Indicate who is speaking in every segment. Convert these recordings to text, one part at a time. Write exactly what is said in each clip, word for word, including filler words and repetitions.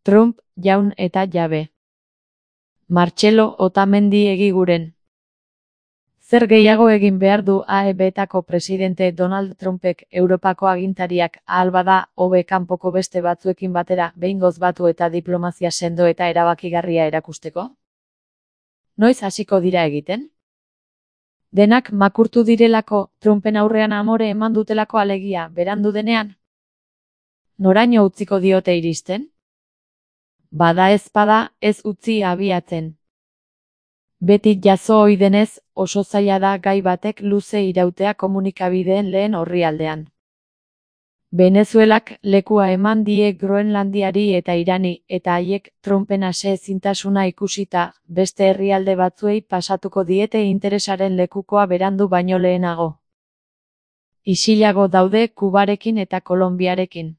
Speaker 1: Trump, jaun eta jabe. Martxelo Otamendi egiguren. Zer gehiago egin behar du A E Betako presidente Donald Trumpek Europako agintariak ahal bada hobe kanpoko beste batzuekin batera behingoz batu eta diplomazia sendo eta erabakigarria erakusteko? Noiz hasiko dira egiten? Denak makurtu direlako, Trumpen aurrean amore eman dutelako alegia, berandu denean? Noraino utziko diote iristen? Bada ezpada, ez utzi abiatzen. Beti jazo ohi denez, oso zaila da gai batek luze irautea komunikabideen lehen orrialdean. Venezuelak lekua eman die Groenlandiari eta Irani, eta haiek Trumpen aseezintasuna ikusita, beste herrialde batzuei pasatuko diete interesaren lekukoa berandu baino lehenago. Isilago daude Kubarekin eta Kolonbiarekin.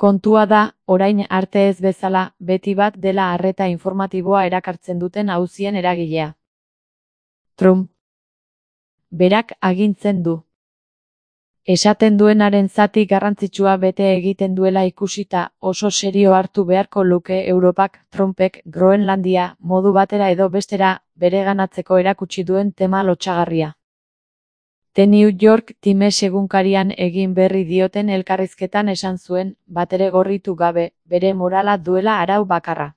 Speaker 1: Kontua da, orain arte ez bezala, beti bat dela arreta informatiboa erakartzen duten auzien eragilea. Trump. Berak agintzen du. Esaten duenaren zati garrantzitsua bete egiten duela ikusita, oso serio hartu beharko luke Europak Trumpek Groenlandia modu batera edo bestera bereganatzeko erakutsi duen tema lotsagarria. The New York Times egunkarian egin berri dioten elkarrizketan esan zuen, batere gorritu gabe, bere morala duela arau bakarra.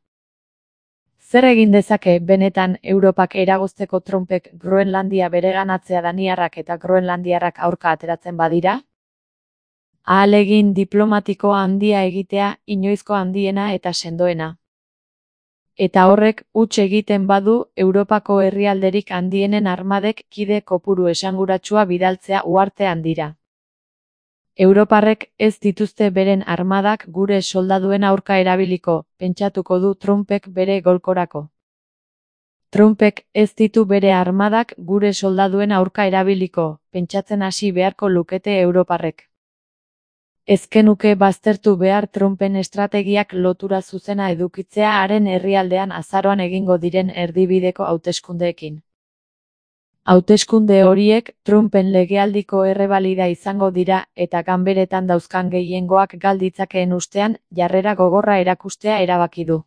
Speaker 1: Zer egin dezake benetan Europak eragozteko Trumpek Groenlandia bereganatzea daniarrak eta groenlandiarrak aurka ateratzen badira? Ahalegin diplomatiko handia egitea, inoizko handiena eta sendoena. Eta horrek huts egiten badu Europako herrialderik handienen armadek kide kopuru esanguratsua bidaltzea uharte handira. Europarrek ez dituzte beren armadak gure soldaduen aurka erabiliko, pentsatuko du Trumpek bere golkorako. Trumpek ez ditu bere armadak gure soldaduen aurka erabiliko, pentsatzen hasi beharko lukete Europarrek. Ezkenuke baztertu behar Trumpen estrategiak lotura zuzena edukitzea haren herrialdean azaroan egingo diren erdibideko hauteskundeekin. Hauteskunde horiek Trumpen legealdiko errebalida izango dira eta ganberetan dauzkan gehiengoak gal ditzakeen ustean jarrera gogorra erakustea erabaki du.